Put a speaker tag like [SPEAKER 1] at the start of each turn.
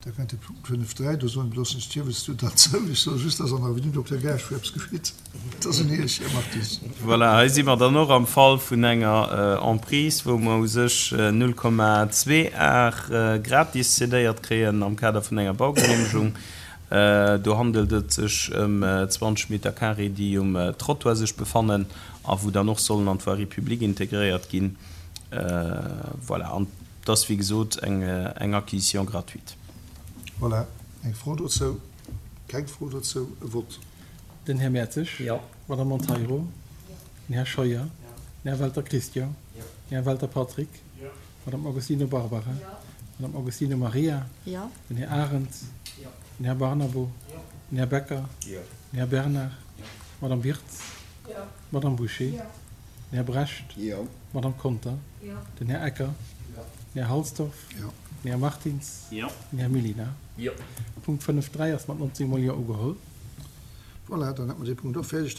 [SPEAKER 1] Da kënnt de Punkt 5.3, do soen elo ech Iewes du derzou. Ech soe just, dass an der Avenue Dokter Gaasch eppes geschitt. Dat ass un Iech, Här Martis.
[SPEAKER 2] Voilà, hei si mer dann och am Fall vun enger Emprise, wou mer u sech 0,2 Ar gratis cedéiert kréien am Kader vun enger Baugenehmegung. Do handelt et sech ëm 20 Meter carré, déi um Trottoir sech befannen a wou dann och sollen an d'Voirie publique integréiert ginn. Voilà, an et ass, wéi gesot, eng Acquisition gratuite.
[SPEAKER 1] Voilà, eng Fro dozou? Keng Fro dozou? E Vott.
[SPEAKER 3] Den Här Mertzig.
[SPEAKER 2] Jo.
[SPEAKER 3] D'Madame Monteiro. Den Här Scheuer. Den Här Welter Christian. Den Här Welter Patrick. D'Madame Agostino Barbara. D'Madame Agostino Maria. Den Här Arendt. Den Här Barnabo. Den Här Becker. Den Här Bernard. D'Madame Wirtz. D'Madame Bouché. Den Här Brecht. D'Madame Conter. Den Här Ecker. Den Här Halsdorf. Den Här Martins. Den Här Mellina. Punkt 5.3 ass mat 19 mol Jo ugeholl.
[SPEAKER 1] Voilà, dann hätte mer dee Punkt och fäerdeg.